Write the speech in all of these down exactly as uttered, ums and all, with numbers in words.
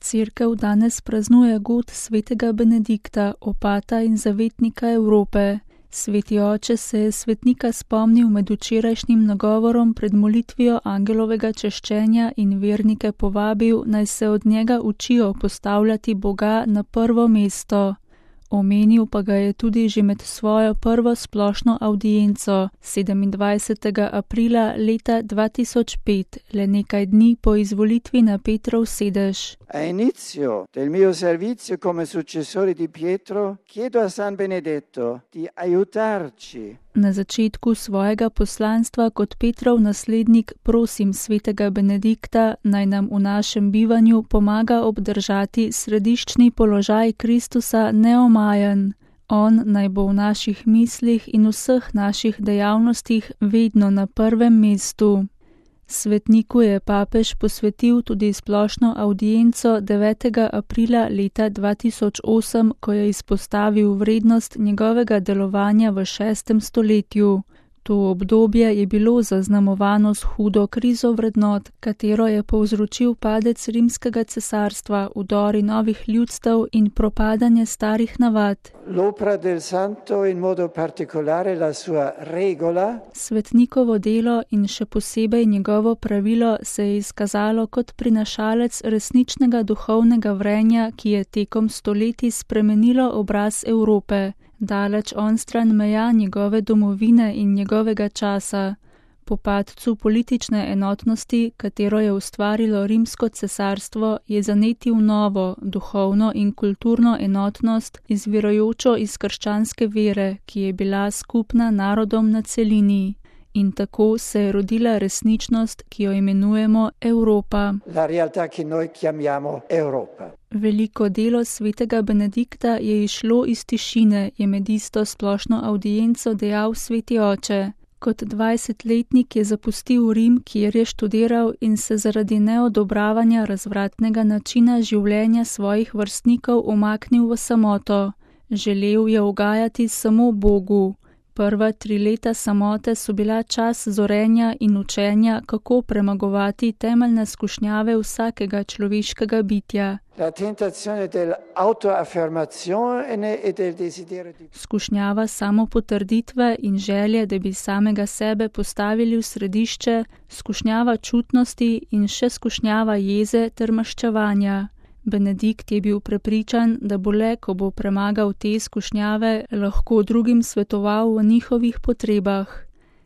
Cerkev danes praznuje god svetega Benedikta, opata in zavetnika Evrope. Sveti oče se je svetnika spomnil med včerajšnjim nagovorom pred molitvijo angelovega češčenja in vernike povabil, naj se od njega učijo postavljati Boga na prvo mesto. Omenil pa ga je tudi že med svojo prvo splošno avdienco sedemindvajsetega aprila leta dva tisoč pet, le nekaj dni po izvolitvi na Petrov sedež. A inizio del mio servizio come successore di Pietro, chiedo a San Benedetto di aiutarci. Na začetku svojega poslanstva kot Petrov naslednik prosim svetega Benedikta, naj nam v našem bivanju pomaga obdržati središčni položaj Kristusa neomajen. On naj bo v naših mislih in vseh naših dejavnostih vedno na prvem mestu. Svetniku je papež posvetil tudi splošno avdienco devetega aprila leta dva tisoč osem, ko je izpostavil vrednost njegovega delovanja v šestem stoletju. To obdobje je bilo zaznamovano s hudo krizo vrednot, katero je povzročil padec rimskega cesarstva, vdori novih ljudstev in propadanje starih navad. L'opera del santo in modo particolare la sua regola. Svetnikovo delo in še posebej njegovo pravilo se je izkazalo kot prinašalec resničnega duhovnega vrenja, ki je tekom stoletij spremenilo obraz Evrope. Daleč onstran meja njegove domovine in njegovega časa. Po padcu politične enotnosti, katero je ustvarilo rimsko cesarstvo, je zanetil novo, duhovno in kulturno enotnost, izvirajočo iz krščanske vere, ki je bila skupna narodom na celini. In tako se je rodila resničnost, ki jo imenujemo Evropa. La realtà che noi chiamiamo Europa. Veliko delo svetega Benedikta je išlo iz tišine, je med isto splošno avdienco dejal sveti oče. Kot dvajsetletnik je zapustil Rim, kjer je študiral in se zaradi neodobravanja razvratnega načina življenja svojih vrstnikov umaknil v samoto. Želel je ugajati samo Bogu. Prva tri leta samote so bila čas zorenja in učenja, kako premagovati temeljne skušnjave vsakega človeškega bitja. La tentazione dell'autoaffermazione e del desiderio di... Skušnjava samopotrditve in želje, da bi samega sebe postavili v središče, skušnjava čutnosti in še skušnjava jeze ter maščevanja. Benedikt je bil prepričan, da bo le, ko bo premagal te skušnjave, lahko drugim svetoval v njihovih potrebah.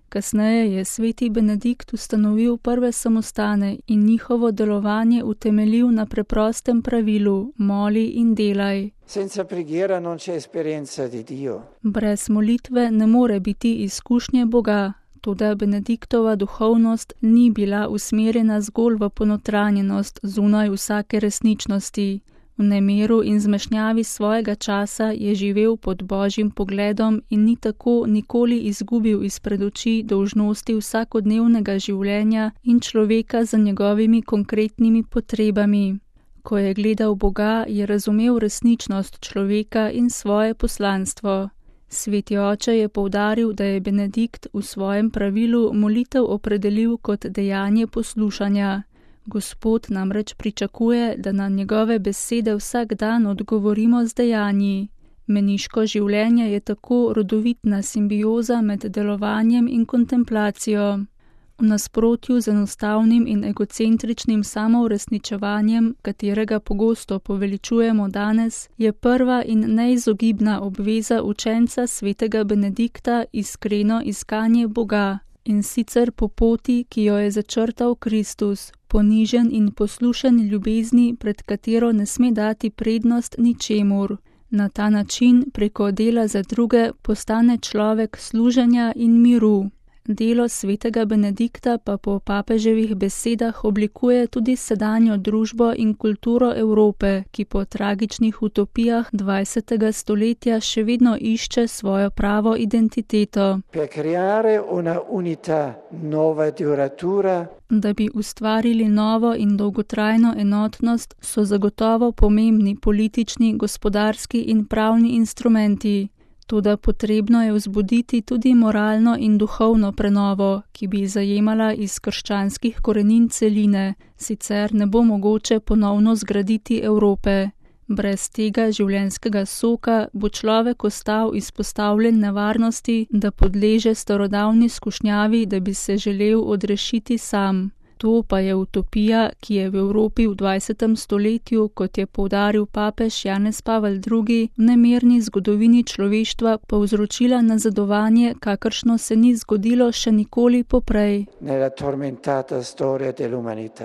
Kasneje je sveti Benedikt ustanovil prve samostane in njihovo delovanje utemeljil na preprostem pravilu: moli in delaj. Senza preghiera non c'è esperienza di Dio. Brez molitve ne more biti izkušnje Boga. Toda Benediktova duhovnost ni bila usmerjena zgolj v ponotranjenost zunaj vsake resničnosti. V nemiru in zmešnjavi svojega časa je živel pod Božjim pogledom in ni tako nikoli izgubil izpred oči dolžnosti vsakodnevnega življenja in človeka za njegovimi konkretnimi potrebami. Ko je gledal Boga, je razumel resničnost človeka in svoje poslanstvo. Sveti oče je poudaril, da je Benedikt v svojem pravilu molitev opredelil kot dejanje poslušanja. Gospod namreč pričakuje, da na njegove besede vsak dan odgovorimo z dejanji. Meniško življenje je tako rodovitna simbioza med delovanjem in kontemplacijo. V nasprotju z enostavnim in egocentričnim samouresničevanjem, katerega pogosto poveličujemo danes, je prva in neizogibna obveza učenca svetega Benedikta iskreno iskanje Boga, in sicer po poti, ki jo je začrtal Kristus, ponižen in poslušen ljubezni, pred katero ne sme dati prednost ničemur. Na ta način, preko dela za druge, postane človek služenja in miru. Delo svetega Benedikta pa po papeževih besedah oblikuje tudi sedanjo družbo in kulturo Evrope, ki po tragičnih utopijah dvajsetega stoletja še vedno išče svojo pravo identiteto. Per creare una unità nuova e duratura. Da bi ustvarili novo in dolgotrajno enotnost, so zagotovo pomembni politični, gospodarski in pravni instrumenti. Toda potrebno je vzbuditi tudi moralno in duhovno prenovo, ki bi zajemala iz krščanskih korenin celine, sicer ne bo mogoče ponovno zgraditi Evrope. Brez tega življenjskega soka bo človek ostal izpostavljen nevarnosti, da podleže starodavni skušnjavi, da bi se želel odrešiti sam. To pa je utopija, ki je v Evropi v dvajsetem stoletju, kot je poudaril papež Janez Pavel drugi, v nemirni zgodovini človeštva povzročila nazadovanje, kakršno se ni zgodilo še nikoli poprej. Nella tormentata storia dell'umanità.